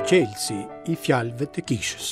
Çelësi i fjalëve të kishës.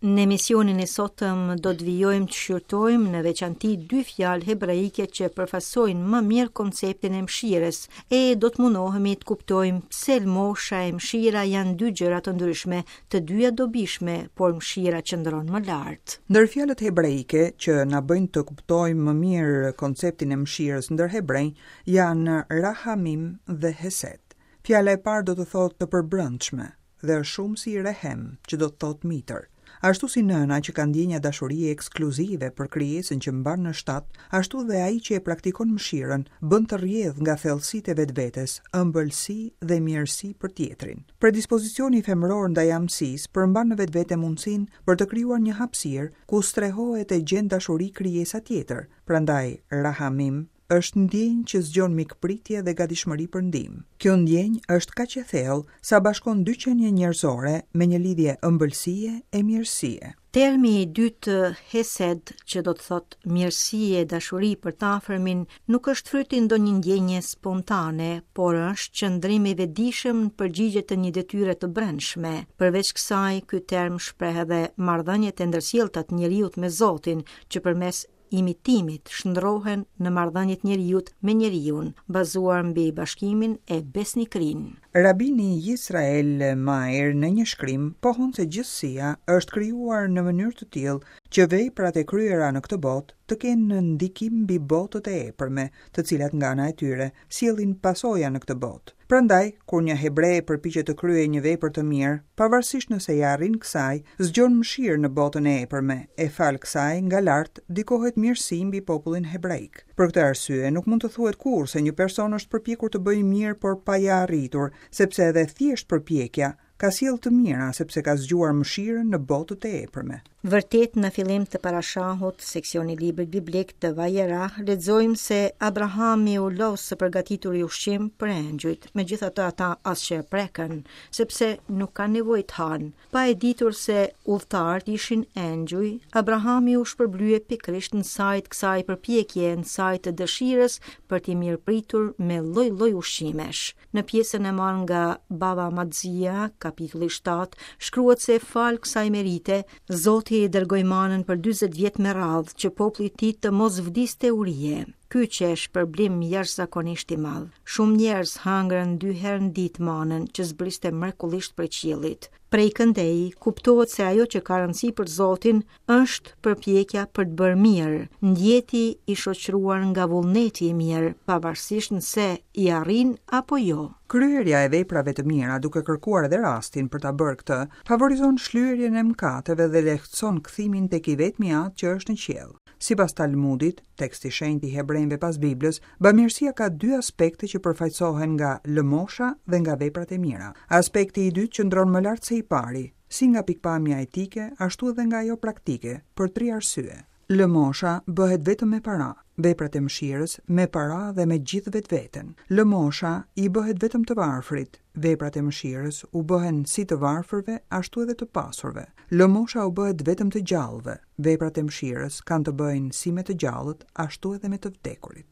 Në emisionin e sotëm do të vijojmë të shqyrtojmë në veçanti dy fjalë hebraike që përfaqësojnë më mirë konceptin e mëshirës e do të mundohemi të kuptojmë pse lëmosha e mëshira janë dy gjëra të ndryshme, të dyja dobishme, por mëshira qëndron më lart. Ndër fjalët hebraike që na bëjnë të kuptojmë më mirë konceptin e mëshirës ndër hebrenj janë rahamim dhe hesed. Fjala e parë do të thotë të përbrendshme dhe është shumësi i rehem, që do të thotë mitër. Ashtu si nëna që ka ndjenja dashurie ekskluzive për krijesën që mban në shtat, ashtu dhe ai që e praktikon mëshirën, bën të rrjedhë nga thellësitë e vetvetes ëmbëlsi dhe mirësi për tjetrin. Predispozicioni femëror ndaj amësisë përmban në vetvete mundësinë për të krijuar një hapësirë ku strehohet e gjen dashuri krijesa tjetër, prandaj rahamim është ndjenjë që zgjon mikpritje dhe gatishmëri për ndihmë. Kjo ndjenjë është kaq e thellë sa bashkon dy qenie njerëzore me një lidhje ëmbëlsie e mirësie. Termi i dytë hesed, që do të thotë mirësi e dashuri për të afërmin, nuk është fryt i ndonjë ndjenje spontane, por është qëndrim i vetëdijshëm në përgjigje të një detyre të brendshme. Përveç kësaj, ky term shpreh edhe marrëdhëniet e ndërsjellta të njeriut me Zotin, që përmes imitimit shndërrohen në marrëdhëniet e njeriut me njeriun, bazuar mbi bashkimin e besnikërinë. Rabini Yisrael Meir në një shkrim pohon se gjithësia është krijuar në mënyrë të tillë që veprat e kryera në këtë botë të kenë ndikim mbi botët e epërme, të cilat nga ana e tyre sjellin pasoja në këtë botë. Prandaj, kur një hebre përpiqet të kryejë një vepër të mirë, pavarësisht nëse ia arrin kësaj, zgjon mëshirë në botën e epërme, e falë kësaj, nga lart, ndikohet mirësi mbi popullin hebraik. Për këtë arsye, nuk mund të thuhet kurrë se një person është përpjekur të bëjë mirë por pa ia arritur, sepse edhe thjesht përpjekja, ka sjellë të mira sepse ka zgjuar mëshirën në botët e epërme. Vërtet në fillim të Parashahut, seksioni i librit biblik të Vajerah, lexojmë se Abrahami u lodh së përgatituri ushqim për engjujt, megjithatë ata as që e prekën, sepse nuk kanë nevojë të hanë. Pa e ditur se udhëtarët ishin engjuj, Abrahami u shpërblye pikërisht në sajë të kësaj përpjekje, në sajë të dëshirës për t'i mirëpritur me lloj-lloj ushqimesh. Në pjesën e marrë nga Bava Matzia, kapitulli 7, shkruhet se falë kësaj merite, Zoti i dërgoi manën për 40 vjet me radhë që populli i tij të mos vdiste urie. Ky qe shpërblim jashtëzakonisht i madh. Shumë njerëz hëngrën dy herë në ditë manën që zbriste mrekullisht prej qiellit. Prej këndej, kuptohet se ajo që ka rëndësi për Zotin është përpjekja për të bërë mirë, ndjeti i shoqëruar nga vullneti i mirë, pavarësisht nëse i arrin apo jo. Kryerja e veprave të mira, duke kërkuar edhe rastin për ta bërë këtë, favorizon shlyerjen e mëkateve dhe lehtëson kthimin tek i vetmi Atë që është në qiell. Sipas Talmudit, tekst i shenjtë i hebrenjve pas Biblës, bamirësia ka dy aspekte që përfaqësohen nga lëmosha dhe nga veprat e mira. Aspekti i dytë qëndron më lart se i pari, si nga pikëpamja etike, ashtu edhe nga ajo praktike, për tri arsye. Lëmosha bëhet vetëm me para, veprat e mëshirës me para dhe me gjithë vetveten. Lëmosha i bëhet vetëm të varfrit, veprat e mëshirës u bëhen si të varfërve ashtu edhe të pasurve. Lëmosha u bëhet vetëm të gjallëve, veprat e mëshirës kanë të bëjnë si me të gjallët ashtu edhe me të vdekurit.